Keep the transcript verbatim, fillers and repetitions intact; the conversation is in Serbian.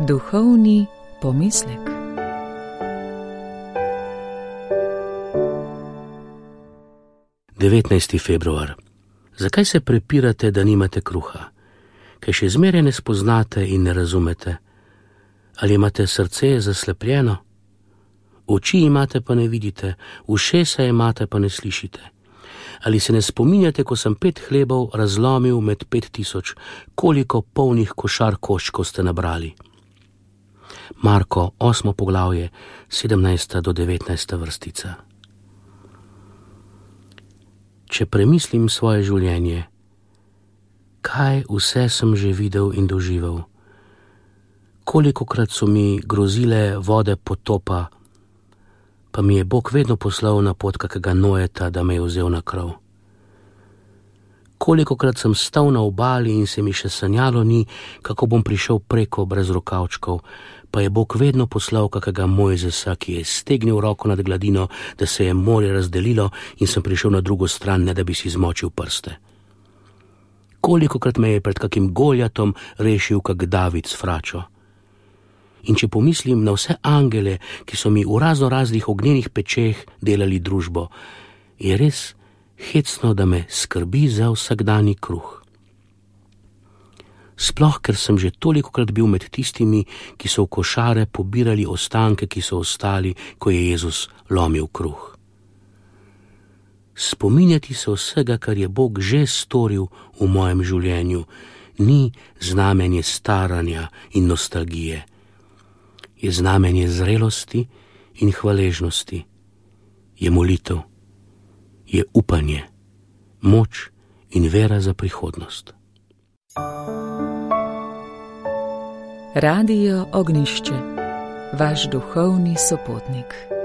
Duhovni pomislek. devetnajsti februar. Zakaj se prepirate, da nimate kruha? Kaj še zmeraj ne spoznate in ne razumete? Ali imate srce zaslepljeno? Oči imate, pa ne vidite, ušesa imate, pa ne slišite. Ali se ne spominjate, ko sem pet hlebov razlomil med pet tisoč, koliko polnih košar koščkov ste nabrali? Marko, osmo poglavje, sedemnajsta do devetnajsta vrstica. Če premislim svoje življenje, kaj vse sem že videl in doživel? Kolikokrat so mi grozile vode potopa, pa mi je Bog vedno poslal na pot kakega Nojeta, da me je vzel na krov. Kolikokrat sem stal na obali in se mi še sanjalo ni, kako bom prišel preko brez rokavčkov, pa je Bog vedno poslal kakega Mojzesa, ki je stegnil roko nad gladino, da se je morje razdelilo in sem prišel na drugo stran, ne da bi si zmočil prste. Kolikokrat me je pred kakim Goljatom rešil kak David s fračo. In če pomislim na vse angele, ki so mi v razno raznih ognjenih pečeh delali družbo, je res hecno, da me skrbi za vsakdani kruh. Sploh, ker sem že tolikokrat bil med tistimi, ki so v košare pobirali ostanke, ki so ostali, ko je Jezus lomil kruh. Spominjati se vsega, kar je Bog že storil v mojem življenju, ni znamenje staranja in nostalgije. Je znamenje zrelosti in hvaležnosti. Je molitev, je upanje, moč in vera za prihodnost. Radio Ognjišče, vaš duhovni sopotnik.